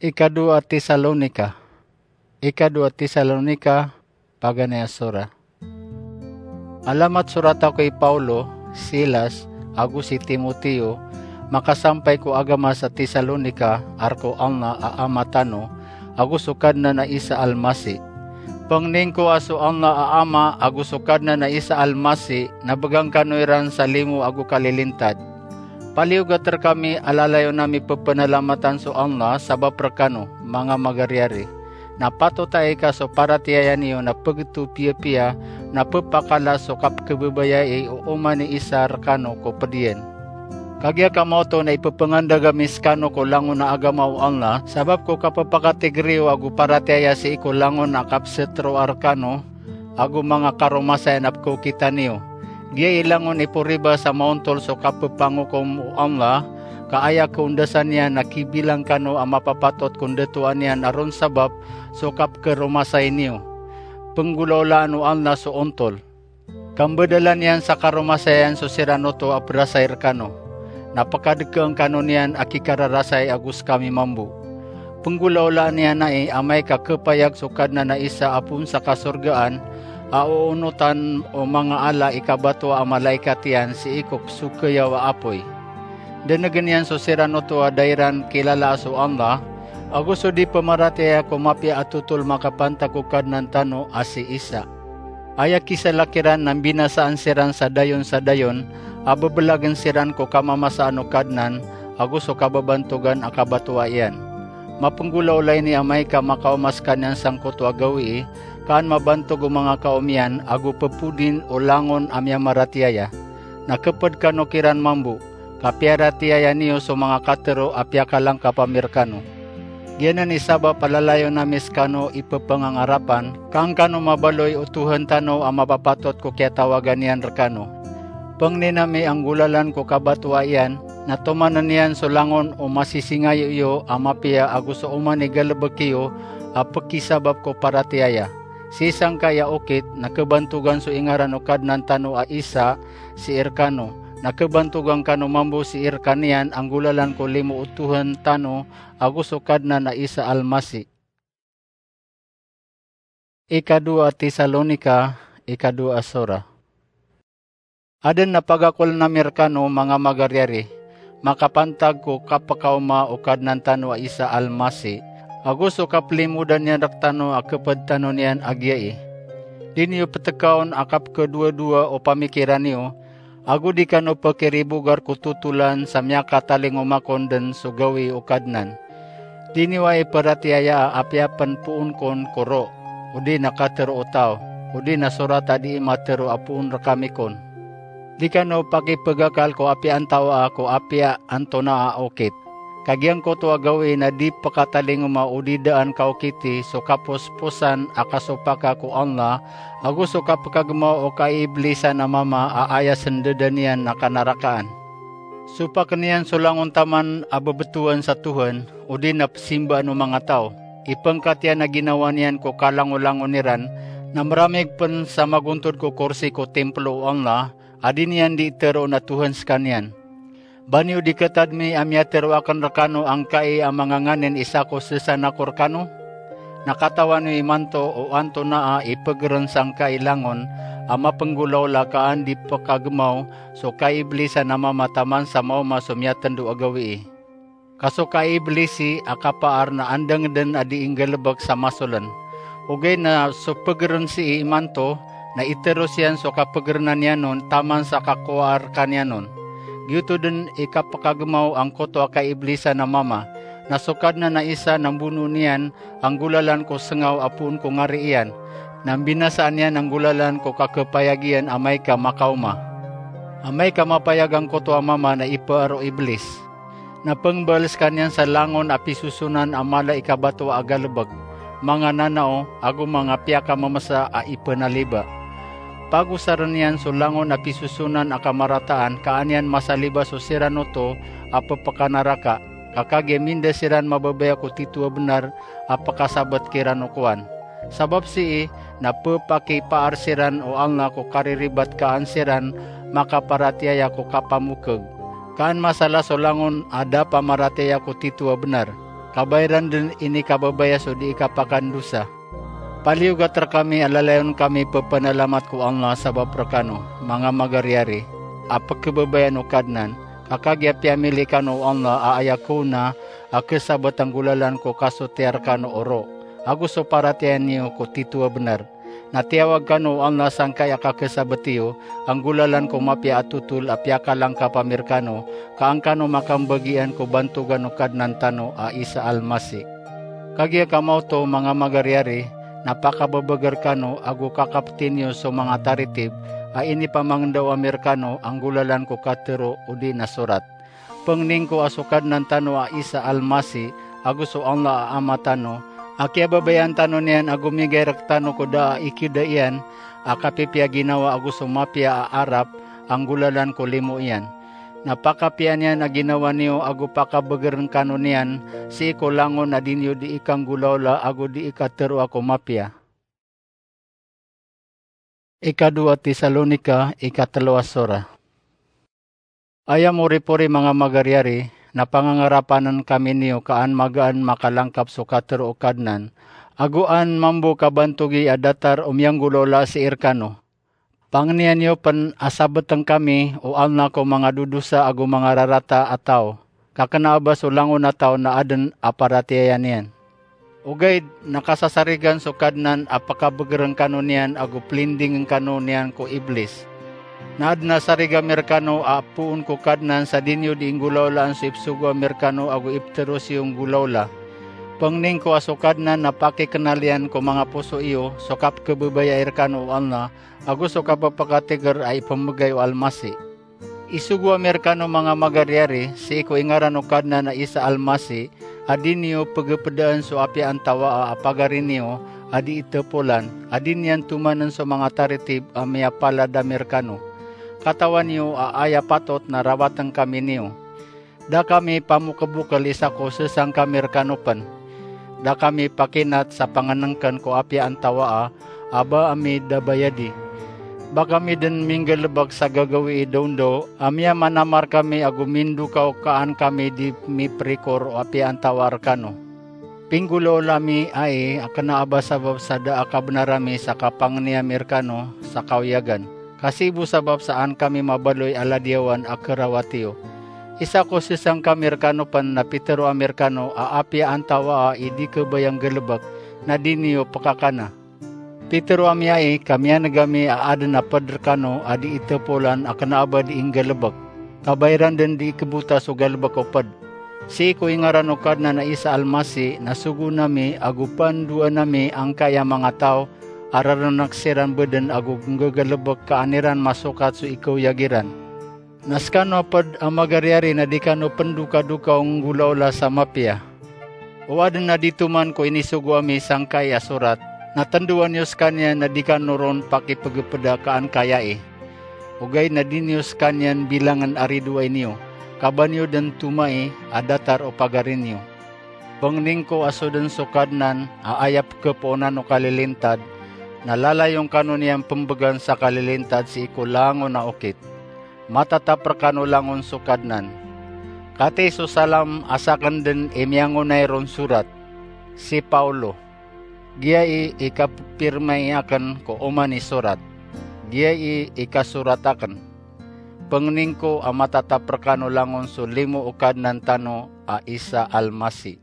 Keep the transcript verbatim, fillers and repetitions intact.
Ikadowa Tesalonika. Ikadowa Tesalonika, paganay a sora. Alamat sorat ako i Paulo, Silas, ago si Timoteo, makasampay ko agama sa Tesalonika, a rk o Allah a Ama tano, ago so Kadnan a Isa Almasi. Pangnin ko a so Allah a Ama ago so Kadnan a Isa Almasi na bgan kano iran sa limo ago kalilintad. Paliyogat rkami a lalayon ami ppnalamatan so Allah sabap rkano, manga magariyari. Na patot ai ka so paratiyaya niyo na pgto piyapiya na ppakala so kapkhababayai o oman i isa rkano ko pd iyan. Kagiya ka maoto na ippangandag ami skano ko langon a agama o Allah, sabap ko kapphakatigr iyo ago paratiyaya sii ko langon a kapstroa rkano ago manga karomasayan a pkhaokita niyo. Giya i langon i poribas a maontol so kapphangokom o Allah, ka aya kaondasan iyan na kibilang kano a mapapatot ko ndatoan iyan a ron sabap so kapkharomasay niyo. Pnggolaolaan o Allah so ontol. Kambadalan iyan sa karomasayan so siran oto a prasay rkano. Na pkadkhaan kano niyan a kikararasay ago skami mambo. Pnggolaolaan iyan ai amay ka khapayag so Kadnan a Isa a poon sa kasorgaan a oonotan o manga ala i kabatoa a malaikat iyan sii ko sokayaw a apoy. Dnggn iyan so siran oto a da iran kilalaa so Allah, ago so di pamaratiyaya ko mapiya a totol makapantag ko Kadnan tano a si Isa. Aya kisalak iran na mbinasaan siran sa dayon sa dayon a bblagn siran ko kamamasaan o Kadnan ago so kababantogan a kabatoa iyan. Mapnggolaola ini amay ka makaoma skaniyan sangkoto a gawii, ka an mabantog o manga kaom iyan ago ppodin o langon a miyamaratiyaya. Na khapd kano kiran mambo, ka piyaratiyaya niyo so manga katharo a piyakalangkap ami rkano. Giyanan i sabap a lalayon ami skano i pphangangarapan, ka an kano mabaloy o Tuhan tano a mapapatot ko kiyatawagan iyan rkano. Pangnin ami a nggolalan ko kabatoa iyan, na tomanan iyan so langon o masisingayo iyo a mapiya ago so oman i galbk iyo a pkisabap ko paratiyaya. Sii sangkai a okit na khabantogan so ingaran o Kadnan tano a Isa sii rkano, na khabantogan kano mambo sii rkaniyan a nggolalan ko limo o Tuhan tano ago so Kadnan a Isa Almasi. Ikadowa Tesalonika, ikadowa a sora. Adn a pagakolan ami rkano, manga magariyari, makapantag ko kapkaoma o Kadnan tano a Isa Almasi, ago so kaplimodan iyan rktano a khapd tano niyan a giyai. Di niyo ptkaon a kapkhadowadowa o pamikiran iyo, ago di kano pkhiribogar ko totolan sa miyakatalingoma kon dn so gawii o Kadnan. Di niyo ai paratiyayaa a apiya pn poon kon ko ro, odi na katharo o taw, odi na sorat a dii matharo a poon rkami kon. Di kano pakipagakal ko apiya antawaa ko apiya antonaa a okit. Ka giyangkoto a gawii na di pkatalingoma odi daan kaokiti so kaposposan a kasopaka ko Allah, ago so kapkagmaw o kaiiblisan a mama a aya sndadan iyan na kanarakaan. Sopakn iyan so langon taman a bbtowan sa Tuhan, odi na psimbaan o manga taw. Ipngkat iyan a ginawa niyan ko kalangolangon iran, na mramig pn sa magontod ko korsi ko timplo o Allah, a di niyan dii tharoon a Tuhan skaniyan. Ba niyo di khatad mi a miyatharo akn rkano angkai a manga nganin i sako ssan ako rkano? Na katawan iyo imanto o antonaa i pgren sangkai langon a mapnggolaola ka an di pkagmaw so kaiiblisan a mama taman sa maoma so miyatndo a gawii. Ka so kaiiblisi a kapaar na andang dn a dii nggalbk sa masoln. Ogaid na so pgren sii imanto, na iteros iyan so kapgrenan iyan on taman sa kakowaa rkaniyan on. Giyoto dn i kapkagmaw angkoto a kaiiblisan a mama, na so Kadnan a Isa na mbonoon iyan a nggolalan ko sngaw a poon ko ngari iyan, na mbinasaan iyan a nggolalan ko kakhapayag iyan amay ka makaoma. Amay ka mapayag angkoto a mama na ipaar o Iblis. Na pngbaal skaniyan sa langon a pisosonan a mala i kabatoa a galbk, manga nanao, ago manga piyakamamsa a ipnaliba. Pagosarn iyan so langon a pisosonan a kamarataan ka an iyan masaliba so siran oto a ppkanaraka, ka kagiya minda siran mababaya ko tito a bnar a pkasabt kiran o kowan. Sabap sii na ppakipaar siran o Allah ko kariribat ka an siran makaparatiyaya ko kapamokg, ka an masala so langon a da pamaratiyaya ko tito a bnar. kabayran den inikababaya so dii kapakandosa. Paliyogat rekami a lalayon kami pepanalamat ko Allah sabap rekano, manga magariyari, a pekebabayaan o Kadnan, ka kagiya piyamili kano o Allah a aya kowna a kesabet a nggolalan ko kasotiya rekano o ro, ago so paratiyaya niyo ko tito a benar. Na tiyawag kano o Allah sangkai a kakesabet iyo a nggolalan ko mapiya a totol a piyakalangkap ami rekano, ka an kano makambagian ko bantogan o Kadnan tano a Isa Al-Masih. Kagiya kamaoto, manga magariyari, na pakabebeger kano ago kakapeti niyo so manga taritib a inipamangendaw ami rekano a nggolalan ko katero odi na sorat. Pengnin ko a so Kadnan tano a Isa Al-Masih ago so Allah a Ama tano a kiyababayaan tano niyan ago migay rektano ko da a ikeda iyan a kapipiya ginawa ago so mapiya a arap a nggolalan ko limo iyan. Na pakapiya niyan a ginawa niyo ago pakabegeren kano niyan sii ko langon a di niyo dii kanggolaola ago dii kateroa ko mapiya. Ikadowa Tesalonika, ikatelo a sora. Aya moripori, manga magariyari, na pangangarapanen kami niyo ka an magaan makalangkap so katero o Kadnan, ago an mambo kabantogi a datar o miyanggolaola sii rekano. Pangenian iyo pen a sabeten kami o Allah ko manga dodosa ago manga rarata a taw, ka kena a ba so langon a taw na aden a paratiyaya niyan. Ogaid na kasasarigan so Kadnan a pakabegeren kano niyan ago pelindingen kano niyan ko Iblis. Na aden a sariga mi rekano a poon ko Kadnan sa di niyo dii nggolaolaan so ipsogoa mi rekano ago ipteros iyo nggolaola. Pengnin ko a so Kadnan na pakikenal iyan ko manga poso iyo so kapekebebaya rekano o Allah, ago so kapepakatiger a ipembegay o Al-Masih. Isogo ami rekano, manga magariyari, sii ko ingaran o Kadnan a Isa Al-Masih, a di niyo pegepedaan so apiya antawaa a pagari niyo a di itepolan, a di niyan tomanen so manga taritib a miyapalad ami rekano. Katawan iyo a aya patot na rawaten kami niyo. Da kami pamokelbokel isa ko sesang kami rekano pen. Da kami pakinat sa pangenengken ko apiya antawaa a ba ami da bayadi. Ba kami den minggalebek sa gagawii dawndaw a miyamanamar kami ago mindokaw ka an kami di miperikor o apiya antawaa rekano. Pinggolaola mi ai a kena a ba sabap sa da a kabenar ami sa kapangeni ami rekano sa kawiyagan, ka sii bo sabap sa an kami mabaloy a ladiyawan a kerawat iyo. Isa ko sesang kami rekano pen na pitero ami rekano a apiya antawaa i di kebaya nggalebek na di niyo pekakana. Pitero ami ai ka miyaneg ami a aden a ped rekano a di itepolan a kena a ba di nggalebek, ka ba iran den di ikebota so galebek o ped. Sii ko ingaran o Kadnan a Isa Al-Masih na sogoon ami ago pandoan ami angkai a manga taw a rerenek siran beden ago nggagalebek ka an iran masokat so ikawyag iran. Na sekano a ped a magariyari na di kano pendokadoka o nggolaola sa mapiya. O aden a di toman ko inisogo ami sangkai a sorat, na tendowan iyo sekaniyan a di kano ron pakipegepeda ka an kayai. Ogaid na di niyo sekaniyan bilangen a ridoay niyo, ka ba niyo den tomai a datar o pagari niyo. Pengnin ko a so den so Kadnan a aya pekepoonan o kalilintad, na lalayon kano niyan pembegan sa kalilintad sii ko langon a okit. Matatap rekano langon so Kadnan. Katii so salam a saken den i miyangonay ron sorat. Si Paulo. Giyai i kapepirmai aken ko oman i sorat. Giyai i kasorat aken. Pengnin ko a matatap rekano langon so limo o Kadnan tano a Isa Al-Masih.